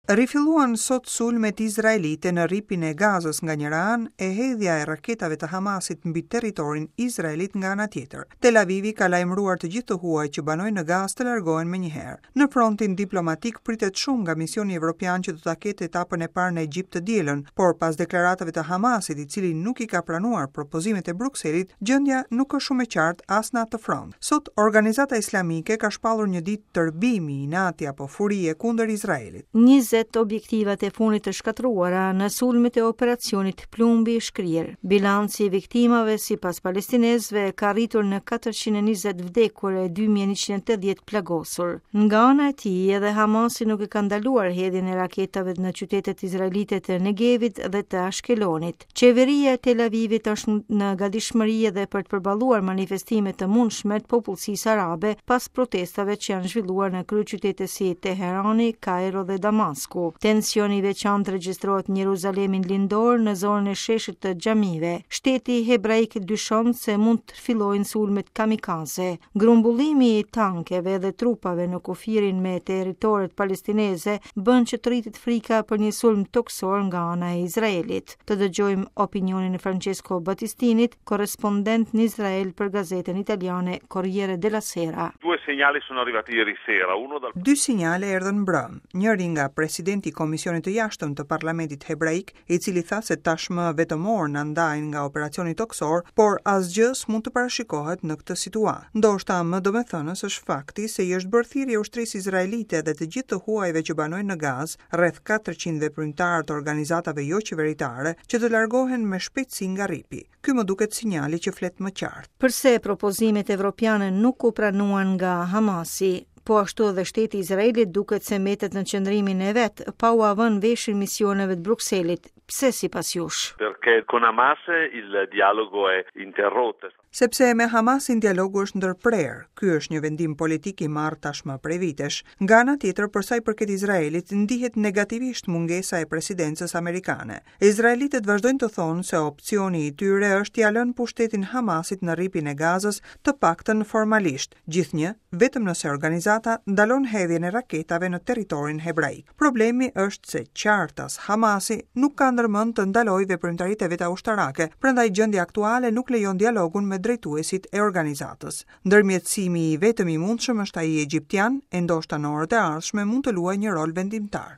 Rifilluan sot sulmet izraelite në Rripin e Gazës nga njëra anë e hedhja e raketave të Hamasit mbi territorin izraelit nga ana tjetër. Tel Avivi ka lajmëruar të gjithë të huajt që banojnë në Gazë të largohen menjëherë. Në frontin diplomatik pritet shumë nga misioni evropian që do ta ketë etapën e parë në Egjipt të dielën, por pas deklaratave të Hamasit, i cili nuk i ka pranuar propozimet e Brukselit, gjendja nuk është shumë e qartë as në atë front. Sot, organizata islamike ka shpallur një ditë tërbimi, inati apo furie kundër Izraelit. 20 objektivat e fundit të shkatërruara në sulmet e operacionit Plumbi i Shkrirë. Bilanci i viktimave sipas palestinezëve ka arritur në 420 vdekur e 2180 plagosur. Nga ana e tij, edhe Hamasi nuk e ka ndaluar hedhjen e raketave në qytetet izraelite të Negevit dhe të Ashkelonit. Qeveria e Tel Avivit është në gatishmëri edhe për të përballuar manifestime të mundshme të popullsisë arabe pas protestave që janë zhvilluar në kryeqytete si Teherani, Kairo dhe Damasku. Tension i veçantë regjistrohet në Jeruzalemin lindor në zonën e sheshit të xhamive. Shteti hebraik dyshon se mund të fillojnë sulmet kamikaze. Grumbullimi i tankeve dhe trupave në kufirin me territoret palestineze bën që të rritet frika për një sulm tokësor nga ana e Izraelit. Të dëgjojmë opinionin e Francesco Battistinit, korrespondent në Izrael për gazetën italiane Corriere della Sera. Due segnali sono arrivati ieri sera, uno dal Dy sinjale erdhën mbrëmë, njëri nga presidenti i Komisionit të Jashtëm të Parlamentit Hebraik, i cili tha se tashmë vetëm orë na ndajnë nga operacioni tokësor, por asgjë s'mund të parashikohet në këtë situatë. Ndoshta më domethënës është fakti se i është bërë thirrje ushtrisë izraelite dhe të gjithë të huajve që banojnë në Gazë, rreth 400 veprimtarë të organizatave joqeveritare, që të largohen me shpejtësi nga rripi. Ky më duket sinjali që flet më qartë. Përse propozimet evropiane nuk u pranuan nga Hamasi? Po ashtu edhe shteti i Izraelit duket se mbetet në qëndrimin e vet, pa ua vënë veshin misioneve të Brukselit. Pse sipas jush? Perché con Hamas il dialogo è interrotto. Sepse me Hamasin dialogu është ndërprerë. Ky është një vendim politik i marrë tashmë prej vitesh. Nga ana tjetër, për sa i përket Izraelit, ndihet negativisht mungesa e presidencës amerikane. Izraelitët vazhdojnë të thonë se opsioni i tyre është t'ia lënë pushtetin Hamasit në Rripin e Gazës, të paktën formalisht, gjithnjë vetëm nëse organizata ndalon hedhjen e raketave në territorin hebraik. Problemi është se qartas Hamasi nuk ka ndërmend të ndalojë veprimtaritë e veta ushtarake, prandaj gjendja aktuale nuk lejon dialogun me drejtuesit e organizatës. Ndërmjetësimi i vetëm i mundshëm është ai egjiptian, e ndoshta në orët e ardhshme mund të luajë një rol vendimtar.